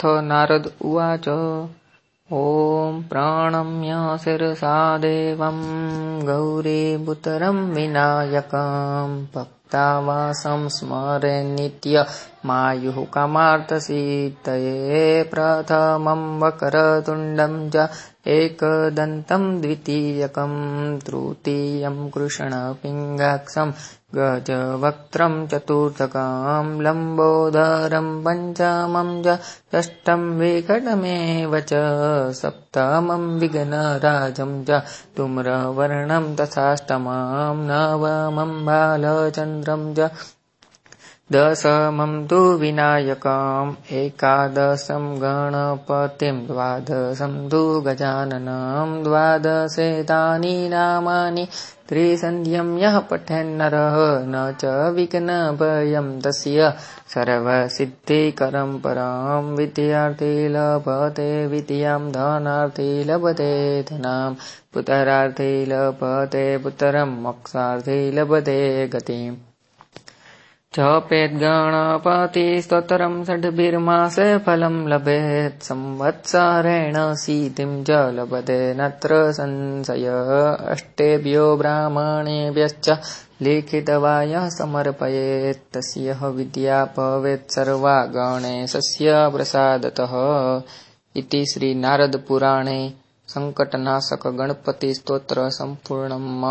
नारद उवाच। ॐ प्रणम्य शिरसा देवं गौरीपुत्रं विनायकं भक्तावासं स्मरे नित्यमायुः कामार्थसिद्धये प्रथमं वक्रतुण्डं च एकदन्तं द्वितीयकं तृतीयं कृष्णपिङ्गाक्षं गजवक्त्रं चतुर्थकं लम्बोदरं पञ्चमं च षष्ठं विकटमेव च सप्तमं विघ्नराजं च धूम्रवर्णं तथाष्टमं नवमं बालचन्द्रं च दशमं तु विनायकम् एकादशं गणपतिं द्वादशं तु गजाननं द्वादशेतानि नामानि त्रिसन्ध्यं यः पठेन्नरः न च विघ्नभयं तस्य सर्वसिद्धिकरं परं विद्यार्थी लभते विद्यां धनार्थी लभते धनं पुत्रार्थी लभते पुत्रं मोक्षार्थी लभते गतिम् जपेद्गणपतिस्तोत्रं षड्भिर्मासे फलं लभेत् संवत्सरेण सिद्धिं च लभते नत्र संशयः अष्टेभ्यो ब्राह्मणेभ्यश्च लिखित्वा यः समर्पयेत् तस्य विद्या भवेत् सर्वा गणेशस्य प्रसादतः। इति श्री नारद पुराणे संकटनाशक गणपति स्तोत्र संपूर्णम्।